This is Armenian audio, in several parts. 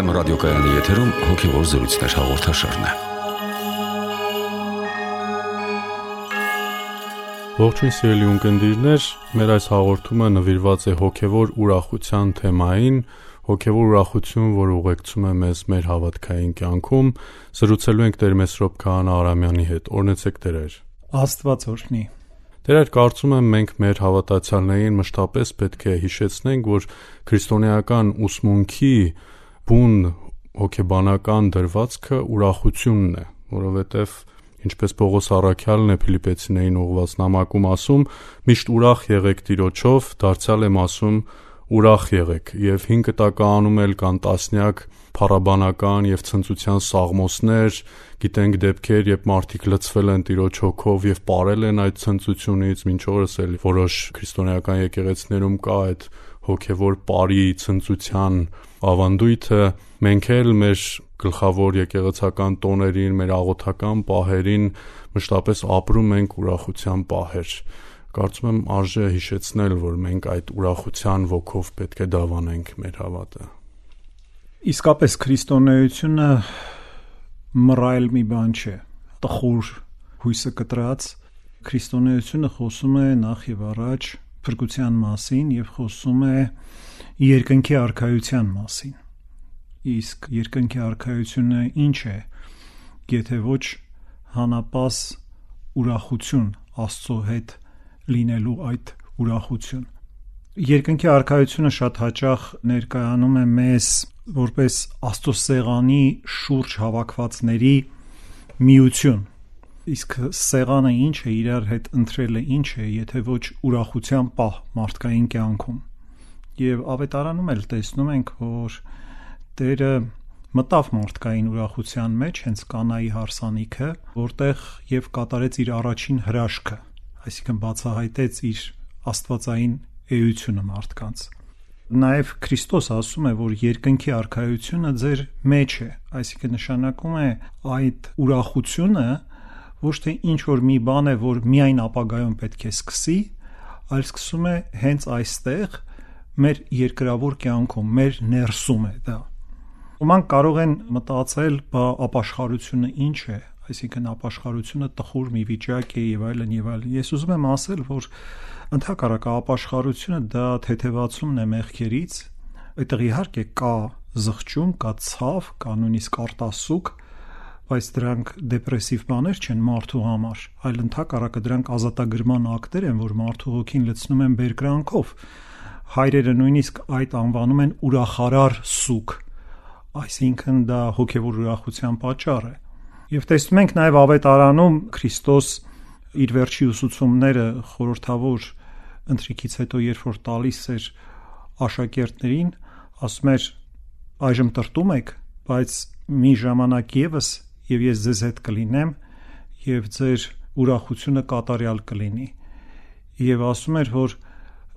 FM ռադիոկայանի եթերում հոգևոր զրույցներ հաղորդաշարն է։ Ողջույն սիրելի ունկնդիրներ, մեր այս հաղորդումը նվիրված է հոգևոր ուրախության թեմային, հոգևոր ուրախություն, որ ուղեկցում է մեզ մեր հավատքային կյանքում։ Զրուցելու ենք Տեր Մեսրոպ Քահանա Արամյանի հետ։ Օրհնեցեք Տեր։ Աստված օրհնի։ Տեր, կարծում եմ մենք մեր հավատացյալներին մշտապես պետք է հիշեցնենք, որ քրիստոնեական ուսմունքի բուն հոգեբանական դրվածքը ուրախությունն է, որովհետև ինչպես Պողոս առաքյալն է Փիլիպպեցիներին ուղղված նամակում ասում, միշտ ուրախ եղեք Տիրոջով, դարձյալ եմ ասում ուրախ եղեք, եւ 5 տականում էլ կան տասնյակ փառաբանական եւ ցնծության սաղմոսներ, գիտենք դեպքեր, երբ մարդիկ լցվել են Տիրոջ հոգով եւ ապարել են այդ ցնծությունից, մինչ օրս էլ որոշ քրիստոնեական եկեղեցիներում կա այդ հոգևոր ապարի ցնծության ավանդույթը։ Մենք էլ մեր գլխավոր եկեղեցական տոներին, մեր աղոթական պահերին մշտապես ապրում ենք ուրախության պահեր։ Կարծում եմ արժե հիշեցնել, որ մենք այդ ուրախության ոգով պետք է դավանենք մեր հավատը։ Իսկապես քրիստոնեությունը մռայլ մի բան չէ, տխուր հույսը կտրած։ Քրիստոնեությունը խոսում է նախ եւ առաջ փրկության մասին եւ խոսում է երկնքի արքայության մասին։ Իսկ երկնքի արքայությունը ինչ է, եթե ոչ հանապաս ուրախություն Աստծո հետ լինելու այդ ուրախություն։ Երկնքի արքայությունը շատ հաճախ ներկայանում է մեզ որպես Աստծո սեղանի շուրջ հավաքվածների միություն։ Իսկ սեղանը ինչ է, իրար հետ ընտրելը ինչ է, եթե ոչ ուրախության պահ մարդկային կյանքում։ Եվ ավետարանում էլ տեսնում ենք, որ Տերը մտավ մարդկային ուրախության մեջ, հենց Կանայի հարսանիքը, որտեղ եւ կատարեց իր առաջին հրաշքը, այսինքն բացահայտեց իր աստվածային էությունը մարդկանց։ Նաև Քրիստոս ասում է, որ երկնքի արքայությունը ձեր մեջ է, այսինքն նշանակում է այդ ուրախությունը ոչ թե ինչ որ մի բան է, որ միայն ապագայում պետք է սկսի, այլ սկսում է հենց այստեղ մեր երկրավոր կյանքում, մեր ներսում է դա։ Ոմանք կարող են մտածել, բա ապաշխարությունը ինչ է, այսինքն ապաշխարությունը տխուր մի վիճակ է եւ այլն եւ այլն։ Ես ուզում եմ ասել, որ ընդհակառակը ապաշխարությունը դա թեթևացումն է մեղքերից, այդտեղ իհարկե կա զղջում, կա ցավ, կա նույնիսկ արտասուք, բայց դրանք դեպրեսիվ բաներ չեն մարդու համար, այլ ընդհակառակը դրանք ազատագրման ակտեր են, որ մարդու հոգին լցնում են բերկրանքով։ Հայրերը նույնիսկ այդ անվանում են ուրախարար սուք, այսինքն դա հոգևոր ուրախության պատճառ է։ Եվ տեսնում ենք նաև ավետարանում Քրիստոս իր վերջի ուսուցումները խորհրդավոր ընթրիքից հետո, երբ որ տալիս էր աշակերտներին, ասում էր. այժմ տրտում եք, բայց մի ժամանակ եւս եւ ես ձեզ հետ կլինեմ եւ ձեր ուրախությունը կատարյալ կլինի։ Եվ ասում էր, որ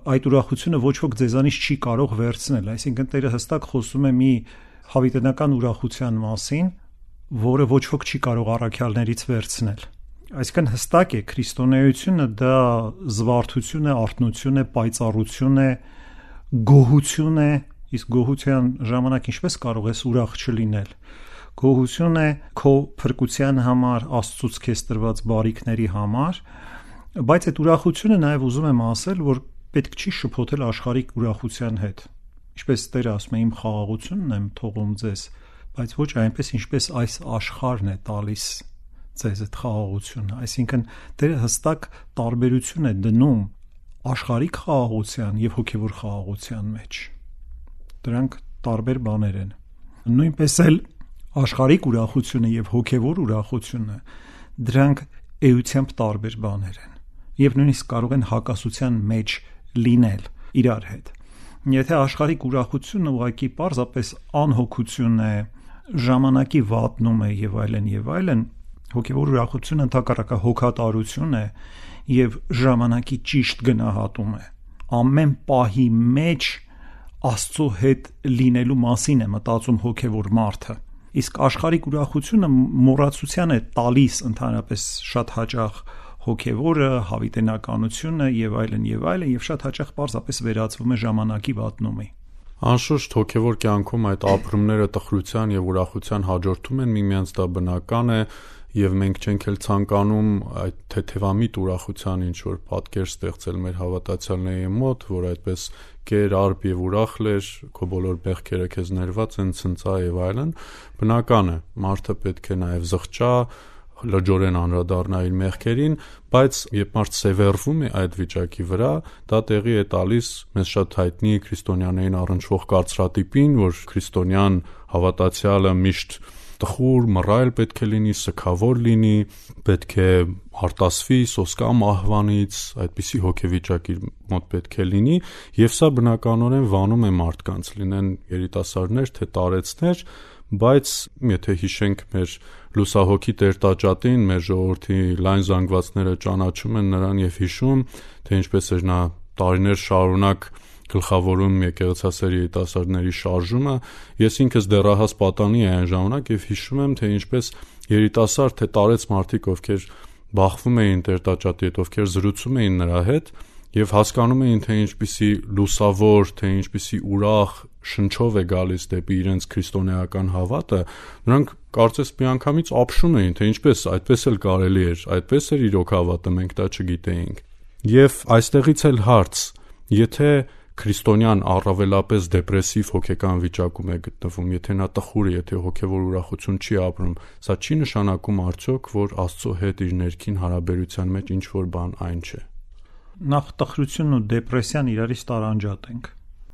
այդ ուրախությունը ոչ ոք ձեզանից չի կարող վերցնել, այսինքն Տերը հստակ խոսում է մի հավիտենական ուրախության մասին, որը ոչ ոք չի կարող առաքյալներից վերցնել։ Այսինքն հստակ է, քրիստոնեությունը դա զվարթություն է, արթնություն է, պայծառություն է, գոհություն է, իսկ գոհության ժամանակ ինչպես կարող ես ուրախ չլինել։ Գոհություն է քո փրկության համար, Աստծուց քեզ տրված բարիքների համար, բայց այդ ուրախությունը նաև ուզում եմ ասել, որ պետք չի շփոթել աշխարհիկ ուրախության հետ։ Ինչպես Տերը ասում է, իմ խաղաղությունն եմ թողում ձեզ, բայց ոչ այնպես, ինչպես այս աշխարհն է տալիս ձեզ այդ խաղաղությունը, այսինքն Տերը հստակ տարբերություն է դնում աշխարհիկ խաղաղության եւ հոգեվոր խաղաղության մեջ։ Դրանք տարբեր բաներ են։ Նույնպես էլ աշխարհիկ ուրախությունը եւ հոգեվոր ուրախությունը դրանք էությամբ տարբեր բաներ են եւ նույնիսկ կարող են հակասության մեջ լինել իրար հետ։ Եթե աշխարհիկ ուրախությունը ուղղակի պարզապես անհոգություն է, ժամանակի վատնում է եւ այլն, հոգեվոր ուրախությունը ընդհակառակը հոգատարություն է եւ ժամանակի ճիշտ գնահատում է։ Ամեն պահի մեջ Աստծո հետ լինելու մասին է մտածում հոգևոր մարդը։ Իսկ աշխարհիկ ուրախությունը մոռացության է տալիս ընդհանրապես շատ հաճախ հոգևորը, հավիտենականությունը եւ այլն, եւ շատ հաճախ պարզապես վերածվում է ժամանակի վատնումի։ Անշուշտ հոգևոր կյանքում այդ ապրումները տխրության եւ ուրախության հաջորդում են միմյանց, դա բնական է, եւ մենք չենք էլ ցանկանում այդ թեթևամիտ ուրախության ինչ որ պատկեր ստեղծել մեր հավատացյալների մոտ, որ այդպես կեր, արբ եւ ուրախ լեր, քո բոլոր բեղքերը քեզ ներված են, ցնծա եւ այլն։ Բնական է, մարդը պետք է նաեւ զղջա, լրջորեն անդրադառնա իր մեղքերին, բայց երբ մարդ սևեռվում է այդ վիճակի վրա, դա տեղի է տալիս մեզ շատ հայտնի քրիստոնյաներին առնչվող կարծրատիպին, որ քրիստոնյան հավատացյալը միշտ տխուր, մռայլ պետք է լինի, սգավոր լինի, պետք է արտասվի, սոսկա մահվանից, այդպիսի հոգեվիճակի մոտ պետք է լինի, եւ սա բնականորեն վանում է մարդկանց, լինեն երիտասարդներ, թե տարեցներ, բայց եթե հիշենք մեր լուսահոգի Տեր-Տաճատին, մեր ժողովրդի լայն զանգվածները ճանաչում են նրան եւ հիշում, թե ինչպես էր նա տարիներ շարունակ գլխավորում եկեղեցասեր երիտասարդների շարժումը, ես ինքս դեռահաս պատանի եմ այն ժամանակ եւ հիշում եմ, թե ինչպես երիտասարդ թե տարեց մարդիկ, ովքեր բախվում էին Տեր-Տաճատի հետ, ովքեր զրուցում էին նրա հետ եւ հասկանում էին, թե ինչպիսի լուսավոր, թե ինչպիսի ուրախ շնչով է գալիս դեպի իրենց քրիստոնեական հավատը, նրանք կարծես միանգամից ապշում էին, թե ինչպես այդպես էլ կարելի էր, այդպես էր իրոք հավատը, մենք դա չգիտեինք։ Եվ այստեղից էլ հարց, եթե քրիստոնյան առավելապես դեպրեսիվ հոգեկան վիճակում է գտնվում, եթե նա տխուր է, եթե հոգևոր ուրախություն չի ապրում, սա չի նշանակում արդյոք, որ Աստծո հետ իր ներքին հարաբերության մեջ ինչ որ բան այն չէ։ Նախ տխրությունն ու դեպրեսիան իրարից տարանջատ ենք։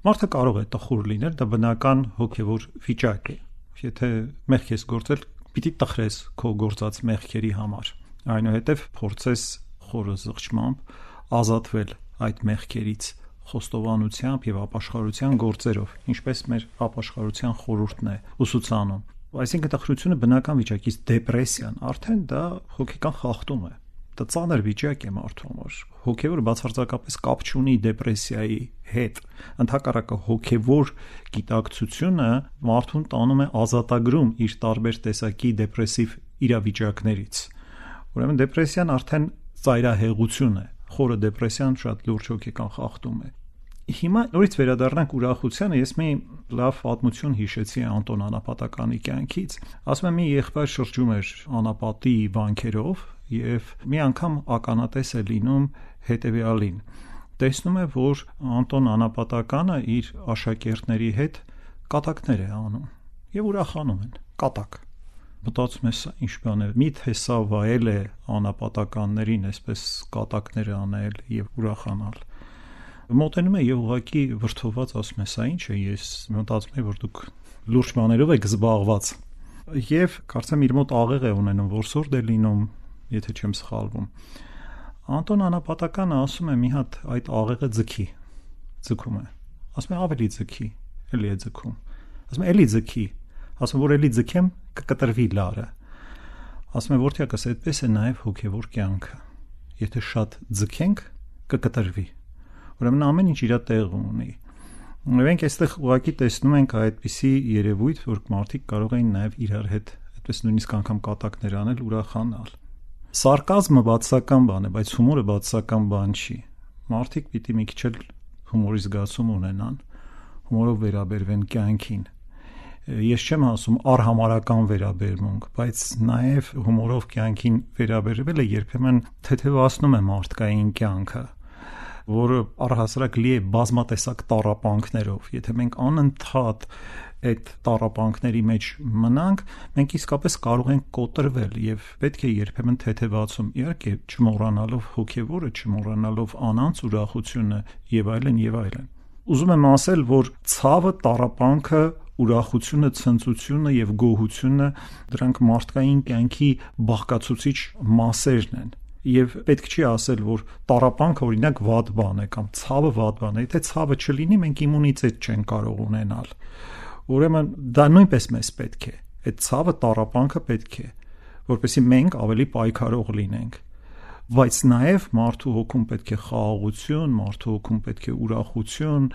Մարդը կարող է տխուր լինել, դա բնական հոգևոր վիճակ է։ Եթե մեղք ես գործել, պիտի տխրես քո գործած մեղքերի համար։ Այնուհետև փորձես խորը զղջմամբ ազատվել այդ մեղքերից խոստովանությամբ եւ ապաշխարության գործերով, ինչպես մեր ապաշխարության խորհուրդն է ուսուցանում։ Այսինքն տխրությունը բնական վիճակից դեպրեսիան արդեն դա հոգեկան խախտում է։ Դա ծանր վիճակ է մարդու համար։ Հոգևորը բացարձակապես կապ չունի դեպրեսիայի հետ։ Ընդհակառակը հոգևոր գիտակցությունը մարդուն տանում է ազատագրում իր տարբեր տեսակի դեպրեսիվ իրավիճակներից։ Ուրեմն դեպրեսիան արդեն ծայրահեղություն է։ Խորը դեպրեսիան շատ լուրջ հոգեկան խախտում է։ Հիմա նորից վերադառնանք ուրախությանը, ես մի լավ պատմություն հիշեցի Անտոն Անապատականի կյանքից։ Ասում եմ, մի եղբայր շրջում էր անապատի վանքերով եւ մի անգամ ականատես է լինում հետեւյալին։ Տեսնում է, որ Անտոն Անապատականը իր աշակերտների հետ կատակներ է անում եւ ուրախանում են։ Կատակ։ Մտածում ես ինչ բան է, միթե սա վայել է անապատականներին, այսպես կատակներ անել եւ ուրախանալ։ Մոտենում է եւ ուղղակի վրդոված ասում է, սա ինչ է, ես մտածում եմ, որ դուք լուրջ բաներով եք զբաղված։ Եվ կարծեմ իր մոտ աղեղ է ունենում, որսորդ է լինում, եթե չեմ սխալվում։ Անտոն Անապատականը ասում է մի հատ այդ աղեղը ձգում է։ Ասում է ավելի ձգի, էլի է ձգում։ Ասում է էլի ձգի։ Ասում որ էլի ձգեմ կկտրվի լարը։ Ասում է որդյակս այդպես է նաև հոգևոր կյանքը։ Եթե շատ ձգենք կկտրվի։ Ուրեմն ամեն ինչ իր տեղը ունի։ Մենք այստեղ ուղղակի տեսնում ենք այդպիսի երևույթ, որ մարդիկ կարող են նաև իրար հետ այդպես նույնիսկ անգամ կատակներ անել, ուրախանալ։ Սարկազմը բացական բան է, բայց հումորը բացական բան չի։ Մարդիկ պիտի մի քիչ էլ հումորի զգացում ունենան, հումորով վերաբերվեն կյանքին։ Ես չեմ ասում արհամարական վերաբերմունք, բայց նաև հումորով կյանքին վերաբերվելը երբեմն թեթևացնում է մարդկային կյանքը, որը առհասարակ լի է բազմատեսակ տառապանքներով։ Եթե մենք անընդհատ այդ տառապանքների մեջ մնանք, մենք իսկապես կարող ենք կոտրվել եւ պետք է երբեմն թեթևացում, իհարկե չմոռանալով հոգեվորը, չմոռանալով անանց ուրախությունը եւ այլն եւ այլն։ Ուզում եմ ասել, որ ցավը, տառապանքը, ուրախությունը, ցնծությունը եւ գոհությունը դրանք մարդկային կյանքի բաղկացուցիչ մասերն են։ Եվ պետք չի ասել, որ տառապանքը օրինակ վատ բան է կամ ցավը վատ բան է։ Եթե ցավը չլինի, մենք իմունիտետ չենք կարող ունենալ։ Ուրեմն դա նույնպես մեզ պետք է։ Այդ ցավը, տառապանքը պետք է, որպեսզի մենք ավելի պայքարող լինենք։ Բայց նաև մարդու հոգում պետք է խաղաղություն, մարդու հոգում պետք է ուրախություն,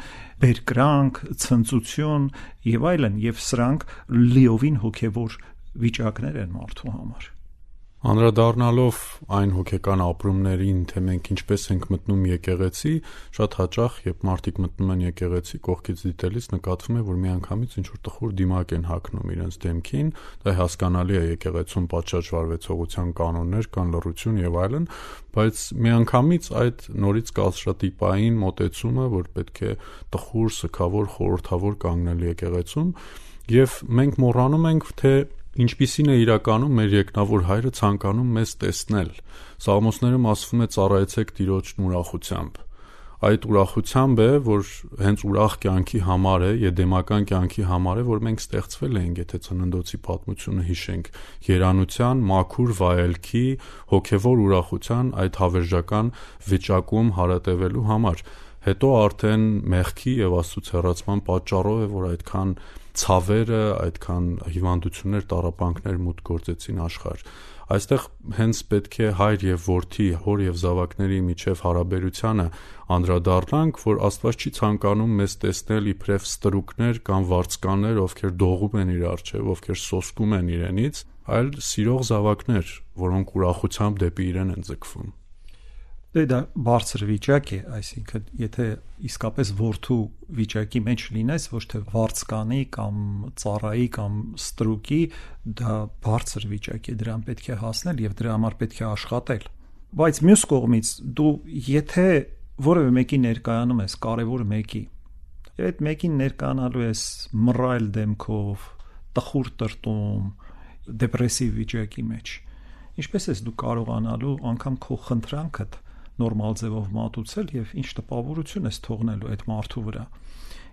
բերկրանք, ցնծություն եւ այլն, եւ սրանք լիովին հոգեվոր վիճակներ են մարդու համար։ Անդրադառնալով այն հոգեկան ապրումներին, թե մենք ինչպես ենք մտնում եկեղեցի, շատ հաճախ, երբ մարդիկ մտնում են եկեղեցի, կողքից դիտելիս նկատվում է, որ միանգամից ինչ-որ տխուր դիմակ են հագնում իրենց դեմքին, դա հասկանալի է, եկեղեցում պատշաճ վարվեցողության կանոններ կան, լռություն եւ այլն, բայց միանգամից այդ նորից կասրատիպային մոտեցումը, որ պետք է տխուր, սգավոր, խորհրդավոր կանգնել եկեղեցում, եւ մենք մոռանում ենք, թե ինչպիսին է իրականում մեր երկնավոր հայրը ցանկանում մեզ տեսնել։ Սաղմոսներում ասվում է ծառայեցեք Տիրոջն ուրախությամբ։ Այդ ուրախությամբ է, որ հենց ուրախ կյանքի համար է, եդեմական կյանքի համար է, որ մենք ստեղծվել ենք, եթե Ծննդոցի պատմությունը հիշենք, երանության, մաքուր վայելքի, հոգևոր ուրախության այդ հավերժական վիճակում հարատևելու համար։ Հետո արդեն մեղքի եւ Աստծո հեռացման պատճառով է, որ այդքան ցավերը, այդքան հիվանդություններ, տառապանքներ մուտք գործեցին աշխարհ։ Այստեղ հենց պետք է հայր եւ որդի, հոր եւ զավակների միջև հարաբերությանը անդրադառնանք, որ Աստված չի ցանկանում մեզ տեսնել իբրև ստրուկներ կամ վարձկաններ, ովքեր դողում են իր առջև, ովքեր սոսկում են իրենից, այլ սիրող զավակներ, որոնք ուրախությամբ դեպի իրեն են ձգվում։ Դա բարձր վիճակ է, այսինքն եթե իսկապես որդու վիճակի մեջ լինես, ոչ թե վարձկանի կամ ծառայի կամ ստրուկի, դա բարձր վիճակ է, դրան պետք է հասնել եւ դրա համար պետք է աշխատել։ Բայց մյուս կողմից դու եթե որևէ մեկի ներկայանում ես, կարևոր մեկի, եւ այդ մեկին ներկայանալու ես մռայլ դեմքով, տխուր տրտում, դեպրեսիվ վիճակի մեջ, ինչպես ես դու կարողանալու անգամ քո խնդրանքդ նորմալ ձևով մատուցել եւ ինչ տպավորություն ես թողնելու այդ մարդու վրա։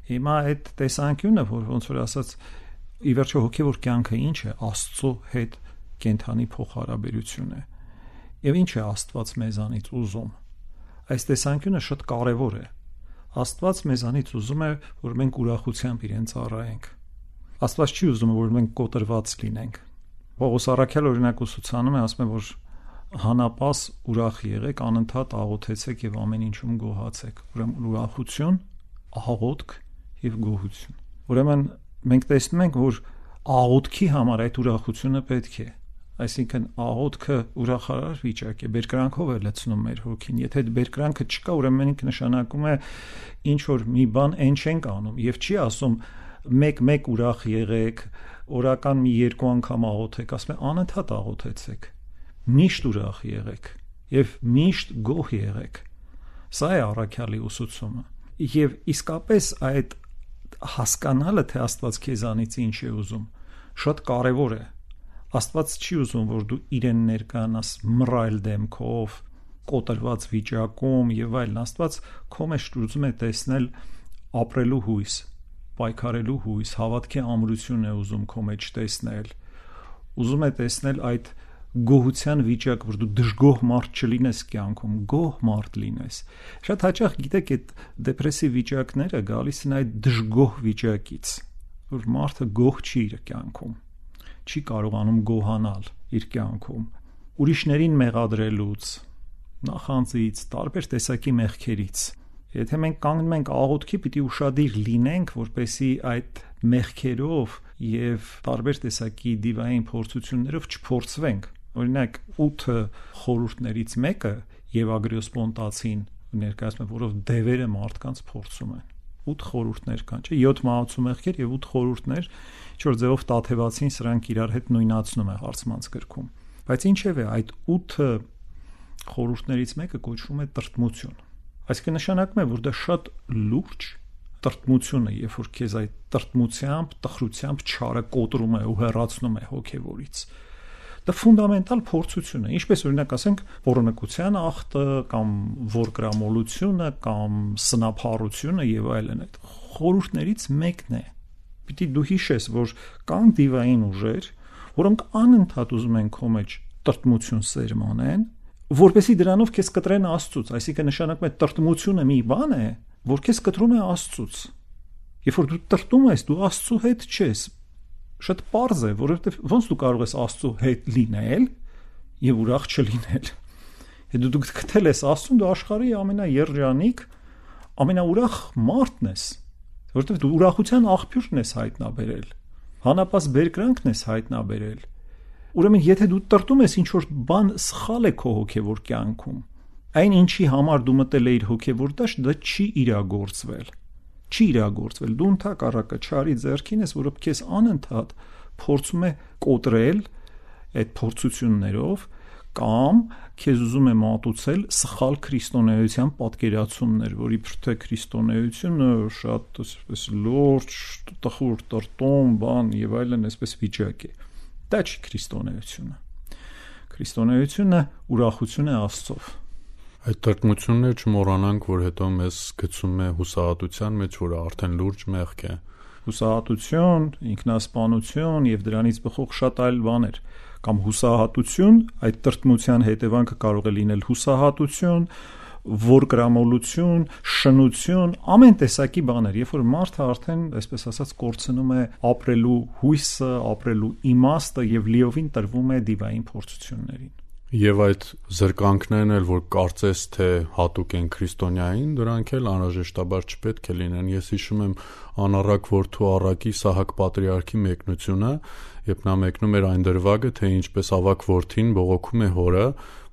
Հիմա այդ տեսանկյունը, որ ոնց որ ասած, ի վերջո հոգեվոր կյանքը ինչ է, Աստծո հետ կենթանի փոխհարաբերություն է։ Եվ ինչ է Աստված մեզանից ուզում։ Այս տեսանկյունը շատ կարևոր է։ Աստված մեզանից ուզում է, որ մենք ուրախությամբ իրեն ծառայենք։ Աստված չի ուզում, որ մենք կոտրված լինենք։ Պողոս առաքյալ օրինակ ուսուցանում է, ասում է, որ հանապաս ուրախ եղեք, անընդհատ աղոթեցեք եւ ամեն ինչում գոհացեք։ Ուրեմն ուրախություն, աղոթք եւ գոհություն։ Ուրեմն մենք տեսնում ենք, որ աղոթքի համար այդ ուրախությունը պետք է։ Այսինքն աղոթքը ուրախարար վիճակ է, բերկրանքով է լցնում մեր հոգին։ Եթե այդ բերկրանքը չկա, ուրեմն մենք նշանակում է ինչ որ մի բան այն չենք անում եւ չի ասում մեկ ուրախ եղեք, օրական մի 2 անգամ աղոթեք, ասում է անընդհատ աղոթեցեք։ Միշտ ուրախ եղեք եւ միշտ գոհ եղեք։ Սա է առաքյալի ուսուցումը։ Եվ իսկապես այդ հասկանալը, թե Աստված քեզանից ինչ է ուզում, շատ կարևոր է։ Աստված չի ուզում, որ դու իրեն ներկանաս մռայլ դեմքով, կոտրված վիճակում եւ այլն։ Աստված քո մեջ ուզում է տեսնել ապրելու հույս, պայքարելու հույս, հավատքի ամրություն է ուզում քո մեջ տեսնել։ Ուզում է տեսնել այդ գոհության վիճակ, որ դու դժգոհ մարդ չլինես կյանքում, գոհ մարդ լինես։ Շատ հաճախ գիտեք, այդ դեպրեսիվ վիճակները գալիս են այդ դժգոհ վիճակից, որ մարդը գոհ չի իր կյանքում, չի կարողանում գոհանալ իր կյանքում, ուրիշներին մեղադրելուց, նախանձից, տարբեր տեսակի մեղքերից։ Եթե մենք կանգնում ենք աղոթքի, պիտի ուշադիր լինենք, որպեսզի այդ մեղքերով եւ տարբեր տեսակի դիվային փորձություններով չփորձվենք։ Օրինակ 8 խորհուրդներից մեկը Եվագրիոս Պոնտացին ներկայացնում է, որով դևերը մարդկանց փորձում են։ 8 խորհուրդներ կան, չէ՞, 7 մահացու մեղքեր եւ 8 խորհուրդներ, ինչ որ ձևով տաթևացին, սրանք իրար հետ նույնացնում է հարցմանց գրքում։ Բայց ինչևէ այդ 8 խորհուրդներից մեկը կոչվում է տրտմություն։ Այսինքն նշանակում է, որ դա շատ լուրջ տրտմություն է, երբ որ քեզ այդ տրտմությամբ, տխրությամբ չարը կոտրում է ու հեռացնում է հոգևորից։ Դա ֆունդամենտալ փորձություն է, ինչպես օրինակ ասենք պոռնկության ախտը կամ որգրամոլությունը կամ սնափառությունը եւ այլն, այդ խորհուրդներից մեկն է։ Պիտի դու հիշես, որ կան դիվային ուժեր, որոնք անընդհատ ուզում են քո մեջ տրտմություն սերմանեն, որպեսզի դրանով քեզ կտրեն Աստծուց, այսինքն նշանակում է տրտմությունը մի բան է, որ քեզ կտրում է Աստծուց։ Երբ որ դու տրտում ես, դու Աստծո հետ չես։ Շատ պարզ է, որովհետև ոնց դու կարող ես Աստծո հետ լինել եւ ուրախ չլինել։ Եթե դու գտել ես Աստծուն, դու աշխարհի ամենաերջանիկ, ամենաուրախ մարդն ես, որովհետև դու ուրախության աղբյուրն ես հայտնաբերել, հանապաս բերկրանքն ես հայտնաբերել։ Ուրեմն եթե դու տրտում ես ինչ որ բան սխալ է քո հոգևոր կյանքում, այն ինչի համար դու մտել էիր հոգևոր դաշտ, դա չի իրագործվել։ Դու ընդհակառակը չարի ձեռքին ես, որը քեզ անընդհատ փորձում է կոտրել այդ փորձություններով կամ քեզ ուզում է մատուցել սխալ քրիստոնեության պատկերացումներ, որ իբր թե քրիստոնեությունը շատ այսպես լուրջ, տխուր, տրտում, բան եւ այլն այսպես վիճակ է։ Դա չի քրիստոնեությունը։ Քրիստոնեությունը ուրախություն է Աստծով։ Այդ տրտմությունները չմոռանանք, որ հետո մեզ գցում է հուսահատության մեջ, որը արդեն լուրջ մեղք է։ Հուսահատություն, ինքնասպանություն եւ դրանից բխող շատ այլ բաներ, կամ հուսահատություն, այդ տրտմության հետևանքը կարող է լինել հուսահատություն, որկրամոլություն, շնություն, ամեն տեսակի բաներ, երբ որ մարդը արդեն, այսպես ասած, կորցնում է ապրելու հույսը, ապրելու իմաստը եւ լիովին տրվում է դիվային փորձություններին։ Եվ այդ զրկանքներն էլ, որ կարծես թե հատուկ են քրիստոնյային, դրանք էլ անհրաժեշտաբար չպետք է լինեն։ Ես հիշում եմ անառակ որդու առակի Սահակ պատրիարքի մեկնությունը, երբ նա մեկնում էր այն դրվագը, թե ինչպես ավակ որդին բողոքում է հորը,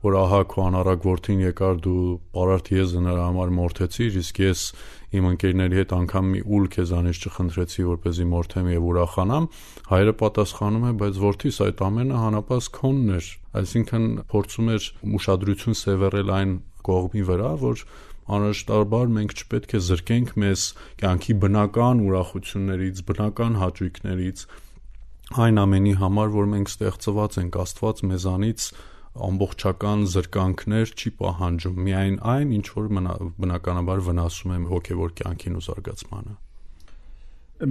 որ ահա քո անառակ որդին եկար, դու պարարտ եզը նրա համար մորթեցիր, իսկ ես իմ ընկերների հետ անգամ մի ուլ քեզանից չխնդրեցի, որպեսզի մորթեմ եւ ուրախանամ, հայրը պատասխանում է, բայց որդիս այդ ամենը հանապաս քոնն էր, այսինքն փորձում էր ուշադրություն սևեռել այն կողմի վրա, որ անհրաժեշտաբար մենք չպետք է զրկենք մեզ կյանքի բնական ուրախություններից, բնական հաճույքներից, այն ամենի համար, որ մենք ստեղծված ենք, Աստված մեզանից ամբողջական զրկանքներ չի պահանջում, միայն այն, ինչ որ բնականաբար վնասում է հոգևոր կյանքին ու զարգացմանը։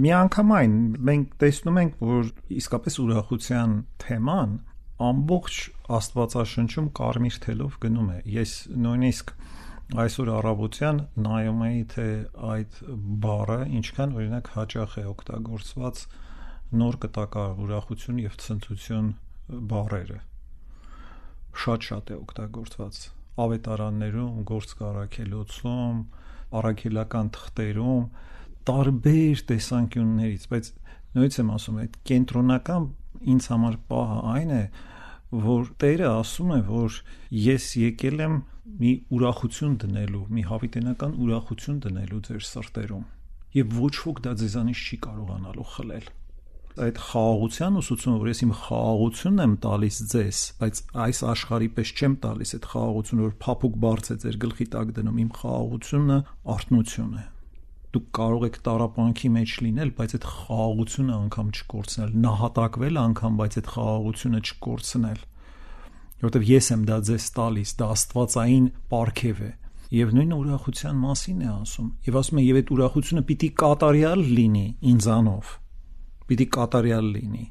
Միանգամայն մենք տեսնում ենք, որ իսկապես ուրախության թեման ամբողջ Աստվածաշնչում կարմիր թելով գնում է։ Ես նույնիսկ այսօր առավոտյան նայում էի, թե այդ բառը ինչքան օրինակ հաճախ է օգտագործված նոր կտակար ուրախություն եւ ցնծություն բառերը։ Շատ է օգտագործված ավետարաններում, գործարքելոցում, առաքելական թղթերում, տարբեր տեսանկյուններից, բայց նույնիսկ եմ ասում, այդ կենտրոնական ինձ համար պահը այն է, որ Տերը ասում է, որ ես եկել եմ մի ուրախություն դնելու, մի հավիտենական ուրախություն դնելու ձեր սրտերում, եւ ոչ ոք դա ձեզանից չի կարողանալու խլել։ Այդ խաղաղության ուսուցումը, որ ես իմ խաղաղությունն եմ տալիս ձեզ, բայց այս աշխարհի պես չեմ տալիս այդ խաղաղությունը, որ փափուկ բարձ է ձեր գլխի տակ դնում, իմ խաղաղությունը արթնություն է։ Դուք կարող եք տառապանքի մեջ լինել, բայց այդ խաղաղությունը անգամ չկորցնել, նահատակվել անգամ, բայց այդ խաղաղությունը չկորցնել, որովհետև ես եմ դա ձեզ տալիս, դա աստվածային պարգև է։ Եվ նույնը ուրախության մասին է ասում, եւ ասում է, եւ այդ ուրախությունը պիտի կատարյալ լինի ինձանով, պիտի կատարյալ լինի,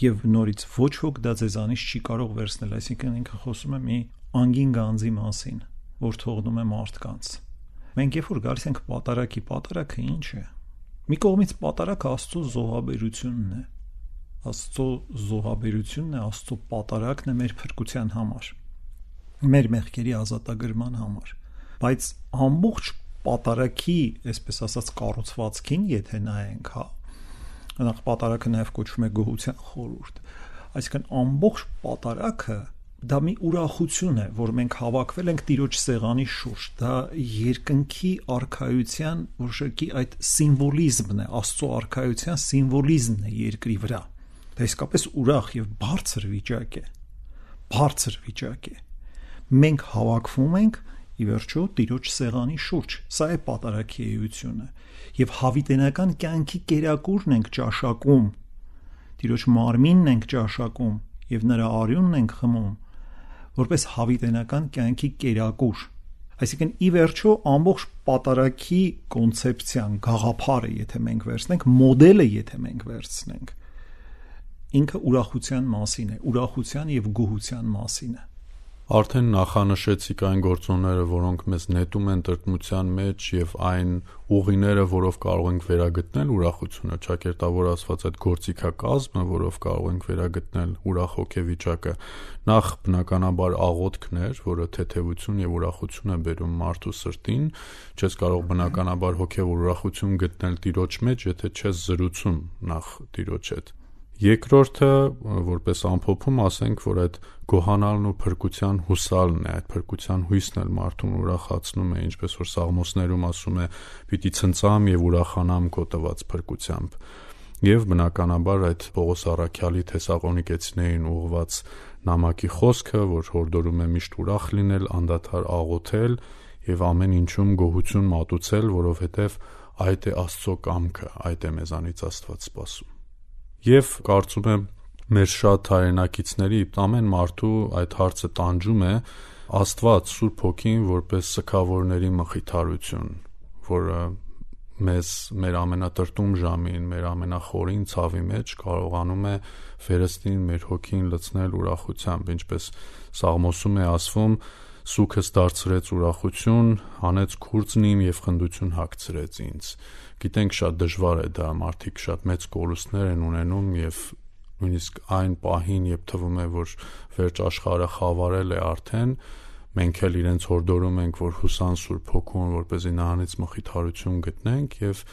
եւ նորից ոչ ոք դա ձեզանից չի կարող վերցնել, այսինքն ինքը խոսում է մի անգին գանձի մասին, որ թողնում է մարդկանց։ Մենք երբ որ գալիս ենք պատարագի, ինչ է։ Մի կողմից պատարագը Աստծո զոհաբերությունն է։ Աստծո զոհաբերությունն է, Աստծո պատարագն է մեր փրկության համար, մեր մեղքերի ազատագրման համար։ Բայց ամբողջ պատարագի, այսպես ասած, կառուցվածքին, եթե նայենք, նախ պատարագը նաև կոչվում է գոհության խորհուրդ։ Այսինքն ամբողջ պատարագը դա մի ուրախություն է, որ մենք հավաքվել ենք Տիրոջ սեղանի շուրջ։ Դա երկնքի արքայության որոշակի այդ սիմվոլիզմն է, Աստծո արքայության սիմվոլիզմն է երկրի վրա։ Դա իսկապես ուրախ եւ բարձր վիճակ է։ Բարձր վիճակ է։ Մենք հավաքվում ենք ի վերջո Տիրոջ սեղանի շուրջ։ Սա է պատարագի էությունը։ Եվ հավիտենական կյանքի կերակուրն ենք ճաշակում։ Տիրոջ մարմինն ենք ճաշակում եւ նրա արյունն ենք խմում, որպես հավիտենական կյանքի կերակուր։ Այսինքն ի վերջո ամբողջ պատարագի կոնցեպցիան, գաղափարը, եթե մենք վերցնենք, մոդելը, եթե մենք վերցնենք, ինքը ուրախության մասին է, ուրախության եւ գոհության մասին է։ Արդեն նախանշեցիք այն գործոնները, որոնք մեզ նետում են տրտմության մեջ եւ այն ուղիները, որով կարող ենք վերագտնել ուրախությունը, ճակերտավոր ասված այդ գործիքակազմը, որով կարող ենք վերագտնել ուրախ հոգեվիճակը, նախ բնականաբար աղոթքն էր, որը թեթևություն եւ ուրախություն է բերում մարդու սրտին, չես կարող բնականաբար հոգեվոր ուրախություն գտնել Տիրոջ մեջ, եթե չես զրուցում նախ Տիրոջ հետ։ Երկրորդը, որպես ամփոփում ասենք, որ այդ գոհանալն ու փրկության հուսալն է, այդ փրկության հույսն էլ մարդուն ուրախացնում է, ինչպես որ Սաղմոսներում ասում է, պիտի ցնծամ եւ ուրախանամ քո տված փրկությամբ։ Եվ բնականաբար այդ Պողոս առաքյալի Թեսաղոնիկեցիներին ուղղված նամակի խոսքը, որ հորդորում է միշտ ուրախ լինել, անդադար աղոթել եւ ամեն ինչում գոհություն մատուցել, որովհետեւ այդ է Աստծո կամքը, այդ է մեզանից Աստված սպասում։ Եվ կարծում եմ մեր շատ հայրենակիցների ամեն մարդու այդ հարցը տանջում է Աստված Սուրբ Հոգին որպես սգավորների մխիթարություն, որը մեզ մեր ամենատրտում ժամին, մեր ամենախորին ցավի մեջ կարողանում է վերստին մեր հոգին լցնել ուրախությամբ, ինչպես Սաղմոսում է ասվում, սուքս դարձրեց ուրախություն, հանեց քուրձն իմ եւ խնդություն հագցրեց ինձ։ Գիտենք շատ դժվար է դա, մարդիկ շատ մեծ կորուստներ են ունենում եւ նույնիսկ այն պահին, երբ թվում է, որ վերջ աշխարհը խավարել է արդեն, մենք էլ իրենց հորդորում ենք, որ հուսան Սուրբ Հոգուն, որպեսզի նրանից մխիթարություն գտնենք եւ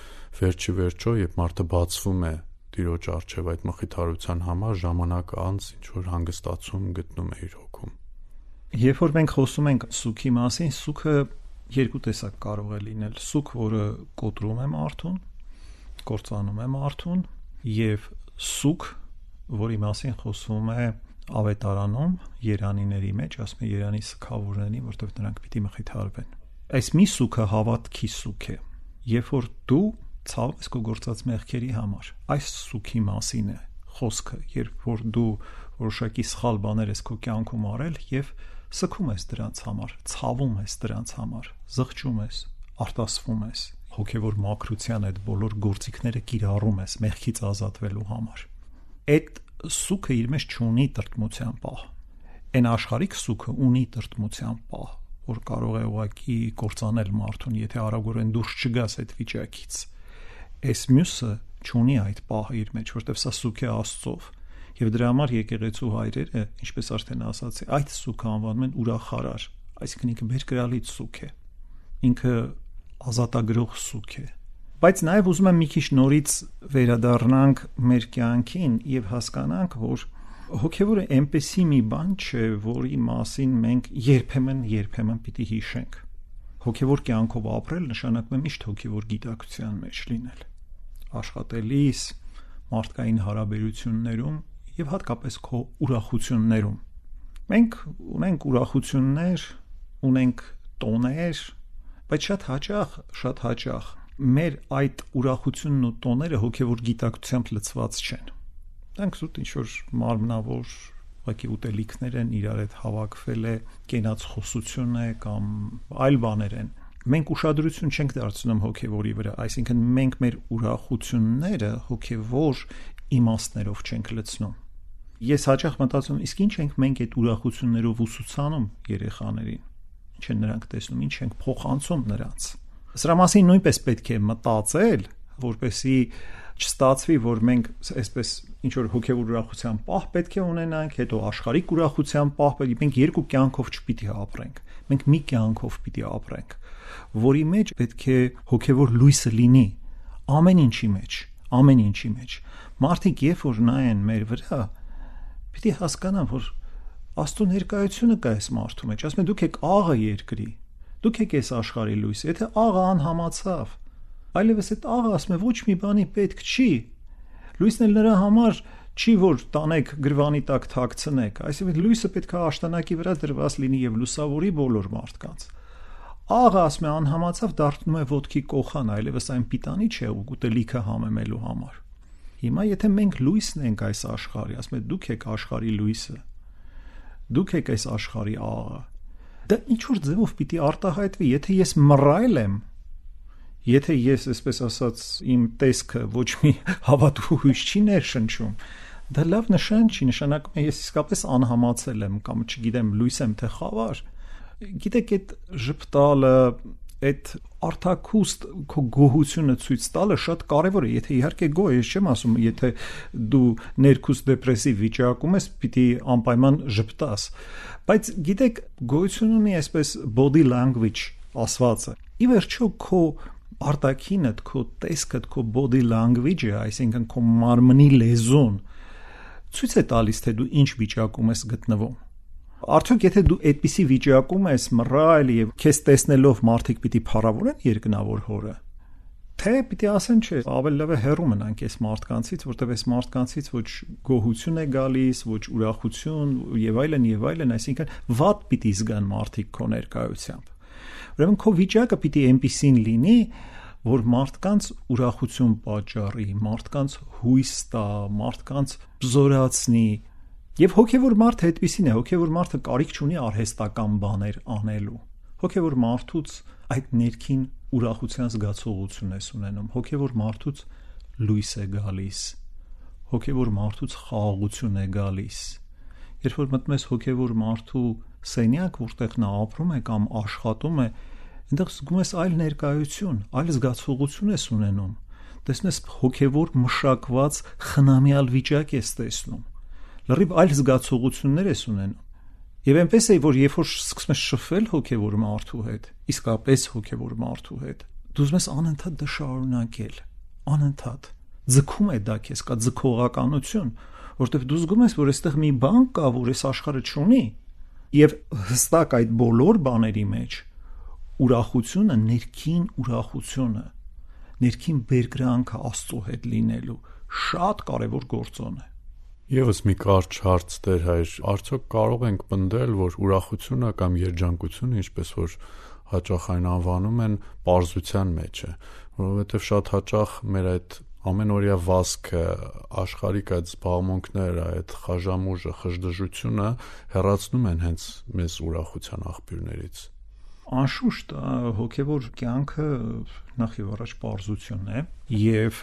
վերջի վերջո, երբ մարդը բացվում է Տիրոջ առջև այդ մխիթարության համար, ժամանակ անց ինչ որ հանգստացում գտնում է իր հոգում։ Երբ որ մենք խոսում ենք սուքի մասին, սուքը երկու տեսակ կարող է լինել. սուք, որը կոտրում է մարդուն, կործանում է մարդուն, եւ սուք, որի մասին խոսում է Ավետարանում երանիների մեջ, ասում է Երանի սգավորներին, որտեղ նրանք պիտի մխիթարվեն։ Այս մի սուքը հավատքի սուք է, երբ որ դու ցավ ես քո գործած մեղքերի համար, այս սուքի մասին է խոսքը, երբ որ դու որոշակի սխալ բաներ ես քո կյանքում արել եւ սգում ես դրանց համար, ցավում ես դրանց համար, զղջում ես, արտասվում ես, հոգեվոր մաքրության այդ բոլոր գործիքները կիրառում ես մեղքից ազատվելու համար։ Այդ սուքը իր մեջ չունի տրտմության պահ։ Այն աշխարհիկ սուքը ունի տրտմության պահ, որ կարող է ուղղակի կործանել մարդուն, եթե արագորեն դուրս չգաս այդ վիճակից։ Այս մյուսը չունի այդ պահը իր մեջ, որտեղ սա սուք է Աստծով։ Եվ դրա համար եկեղեցու հայրերը, ինչպես արդեն ասացի, այդ սուքը անվանում են ուրախարար, այսինքն ինքը բերկրալից սուք է։ Ինքը ազատագրող սուք է։ Բայց նաև ուզում եմ մի քիչ նորից վերադառնանք մեր կյանքին եւ հասկանանք, որ հոգեվորը այնպեսի մի բան չէ, որի մասին մենք երբեմն պիտի հիշենք։ Հոգեվոր կյանքով ապրել նշանակում է միշտ հոգեվոր գիտակցության մեջ լինել։ Աշխատելիս, մարդկային հարաբերություններում եւ հատկապես քո ուրախություններում։ Մենք ունենք ուրախություններ, ունենք տոներ, բայց շատ հաճախ մեր այդ ուրախությունն ու տոները հոգևոր գիտակցությամբ լցված չեն։ Դրանք զուտ ինչ-որ մարմնավոր ուղղակի ուտելիքներ են, իրար հետ հավաքվել է կենաց խոսություն է կամ այլ բաներ են։ Մենք ուշադրություն չենք դարձնում հոգևորի վրա, այսինքն մենք մեր ուրախությունները հոգևոր իմաստներով չենք լցնում։ Ես հաճախ մտածում, իսկ ինչ ենք մենք այդ ուրախություններով ուսուցանում երեխաներին, ինչ են նրանք տեսնում, ինչ ենք փոխանցում նրանց։ Սրա մասին նույնպես պետք է մտածել, որպեսզի չստացվի, որ մենք այսպես ինչ որ հոգևոր ուրախության պահ պետք է ունենանք, հետո աշխարհիկ ուրախության պահ, մենք երկու կյանքով չպիտի ապրենք։ Մենք մի կյանքով պիտի ապրենք, որի մեջ պետք է հոգևոր լույսը լինի ամեն ինչի մեջ։ Մարդիկ երբ որ նայեն մեր վրա, պիտի հասկանան, որ Աստծո ներկայությունը կա այս մարդու մեջ, ասում են դուք եք աղը երկրի, դուք եք այս աշխարհի լույսը, եթե աղը անհամացավ, այլևս այդ աղը ասում է ոչ մի բանի պետք չի, լույսն էլ նրա համար չի, որ տանեք գրվանի տակ թաքցնեք, այսինքն լույսը պետք է աշտանակի վրա դրված լինի եւ լուսավորի բոլոր մարդկանց։ Աղը ասում է անհամացավ, դառնում է ոտքի կոխան, այլևս այն պիտանի չէ ուտելիքը համեմելու համար։ Հիմա եթե մենք լույսն ենք այս աշխարհի, ասում է դուք եք աշխարհի լույսը, դուք եք այս աշխարհի աղը, դա ինչ որ ձևով պիտի արտահայտվի, եթե ես մռայլ եմ, եթե ես այսպես ասած իմ տեսքը ոչ մի հավատու հույս չի ներշնչում, դա լավ նշան չի, նշանակում է ես իսկապես անհամացել եմ կամ չգիտեմ լույս եմ թե խավար։ Գիտեք այդ ժպտալը, այդ արտակուստ քո գոհությունը ցույց տալը շատ կարևոր է, եթե իհարկե գոհ ես չեմ ասում, եթե դու ներքուստ դեպրեսիվ վիճակում ես, պիտի անպայման ժպտաս, բայց գիտեք գոհություն ունի այսպես body language ասվածը։ Ի վերջո քո արտաքինդ, քո տեսքդ, քո body language-ը, այսինքն քո մարմնի լեզուն, ցույց է տալիս, թե դու ինչ վիճակում ես գտնվում։ Արդյոք եթե դու այդպիսի վիճակում ես մռայլ եւ քեզ տեսնելով մարդիկ պիտի փառավորեն երկնավոր հորը, թե պիտի ասեն չէ, ավելի լավ է հեռու մնանք այս մարդկանցից, որտեղ այս մարդկանցից ոչ գոհություն է գալիս, ոչ ուրախություն եւ այլն, այսինքն վատ պիտի զգան մարդիկ քո ներկայությամբ։ Ուրեմն քո վիճակը պիտի այնպիսին լինի, որ մարդկանց ուրախություն պատճառի, մարդկանց հույս տա, մարդկանց զորացնի։ Եվ հոգևոր մարդը այդպիսին է, հոգևոր մարդը կարիք չունի արհեստական բաներ անելու։ Հոգևոր մարդուց այդ ներքին ուրախության զգացողություն ես ունենում, հոգևոր մարդուց լույս է գալիս, հոգևոր մարդուց խաղաղություն է գալիս։ Երբ որ մտնում ես հոգևոր մարդու սենյակ, որտեղ նա ապրում է կամ աշխատում է, այնտեղ զգում ես այլ ներկայություն, այլ զգացողություն ես ունենում։ Տեսնում ես հոգևոր մշակված խնամյալ վիճակ ես տեսնում։ Լրիվ այլ զգացողություններ ես ունենում։ Եվ այնպես է, որ երբ որ սկսում ես շփվել հոգևոր մարդու հետ, իսկապես հոգևոր մարդու հետ, դու ուզում ես անընդհատ դա շարունակել, անընդհատ։ Ձգում է դա քեզ, կա ձգողականություն, որովհետև դու զգում ես, որ այստեղ մի բան կա, որ այս աշխարհը չունի, եւ հստակ այդ բոլոր բաների մեջ ուրախությունը, ներքին բերկրանքը Աստծո հետ լինելու շատ կարևոր գործոն է։ Եվս մի կարճ հարց Տեր հայր, արդյոք կարող ենք պնդել, որ ուրախությունը կամ երջանկությունը, ինչպես որ հաճախ այն անվանում են, պարզության մեջ է, որովհետև շատ հաճախ մեր այդ ամենօրյա վազքը, աշխարհիկ այդ զբաղմունքները, այդ խաժամուժը, խժդժությունը հեռացնում են հենց մեզ ուրախության աղբյուրներից։ Անշուշտ հոգևոր կյանքը նախ եւ առաջ պարզություն է, եւ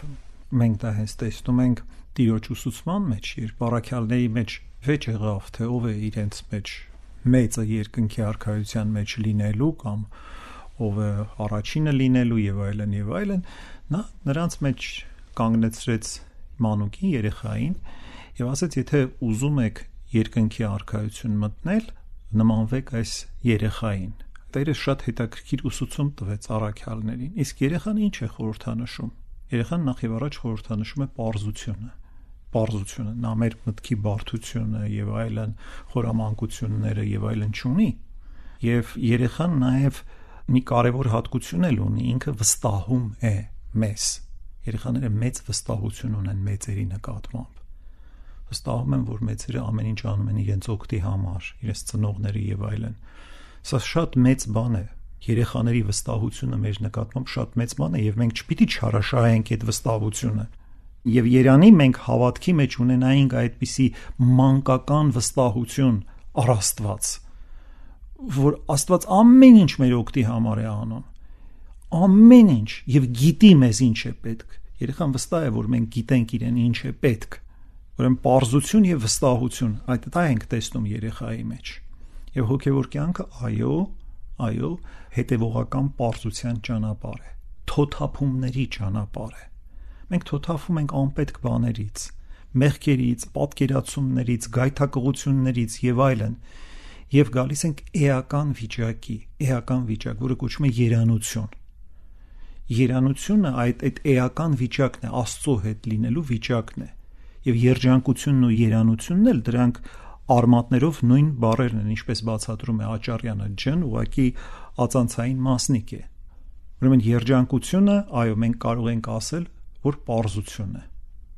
մենք դա հենց տեսնում ենք Տիրոջ ուսուցման մեջ, երբ առաքյալների մեջ վեճ եղավ, թե ով է իրենց մեջ մեծը երկնքի արքայության մեջ լինելու կամ ով է առաջինը լինելու եւ այլն, նա նրանց մեջ կանգնեցրեց մանուկին, երեխային եւ ասաց, եթե ուզում եք երկնքի արքայություն մտնել, նմանվեք այս երեխային։ Տերը շատ հետաքրքիր ուսուցում տվեց առաքյալներին։ Իսկ երեխան ինչ է խորհրդանշում։ Երեխան նախ եւ առաջ խորհրդանշում է պարզությունը, նա մեր մտքի բարդությունը եւ այլն, խորամանկությունները եւ այլն չունի։ Եվ երեխան նաեւ մի կարևոր հատկություն էլ ունի, ինքը վստահում է մեզ։ Երեխաները մեծ վստահություն ունեն մեծերի նկատմամբ։ Վստահում են, որ մեծերը ամեն ինչ անում են իրենց օգտի համար, իրենց ծնողների եւ այլն։ Սա շատ մեծ բան է։ Երեխաների վստահությունը մեր նկատմամբ շատ մեծ բան է եւ մենք չպիտի չարաշահենք այդ վստահությունը։ Եվ Երանի մենք հավատքի մեջ ունենայինք այդպիսի մանկական վստահություն առ Աստված, որ Աստված ամեն ինչ մեր օգտի համար է անում։ Ամեն ինչ եւ գիտի մեզ ինչ է պետք։ Երեխան վստահ է, որ մենք գիտենք իրեն ինչ է պետք։ Ուրեմն պարզություն եւ վստահություն, դա ենք տեսնում երեխայի մեջ։ Եվ հոգևոր կյանքը, այո, հետևողական պարզության ճանապարհ է, թոթափումների ճանապարհ է։ Մենք թոթափում ենք անպետք բաներից, մեղքերից, պատկերացումներից, գայթակղություններից եւ այլն, եւ գալիս ենք էական վիճակ, որը կոչվում է երանություն։ Երանությունը այդ էական վիճակն է, Աստծո հետ լինելու վիճակն է։ Եվ երջանկությունն ու երանությունն էլ դրանք արմատներով նույն բառերն են, ինչպես բացատրում է Աճարյանը, ջն ուղղակի ածանցային մասնիկ է։ Ուրեմն երջանկությունը, այո, մենք կարող ենք ասել, որ պարզություն է։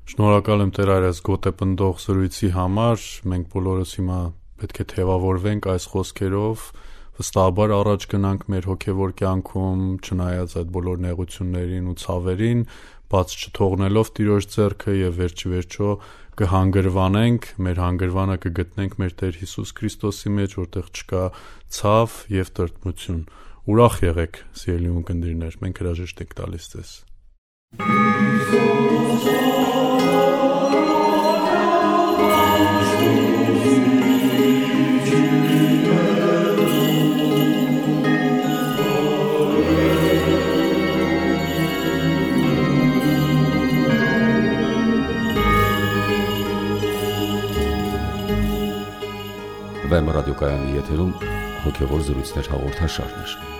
Շնորհակալ եմ Տեր Արաս գոտեպնդող զրույցի համար։ Մենք բոլորս հիմա պետք է թևավորվենք այս խոսքերով, վստահաբար առաջ գնանք մեր հոգևոր կյանքում, չնայած այդ բոլոր նեղություններին ու ցավերին, բաց չթողնելով Տիրոջ ձեռքը եւ վերջիվերջո կհանգրվանենք, մեր հանգրվանը կգտնենք մեր Տեր Հիսուս Քրիստոսի մեջ, որտեղ չկա ցավ եւ տրտմություն։ Ուրախ եղեք, սիրելի ունկնդիրներ, մենք հրաժեշտ ենք տալիս ձեզ։ Վեմ ռադիոկայանի եթերում հոգևոր զրույցներ հաղորդաշարներ։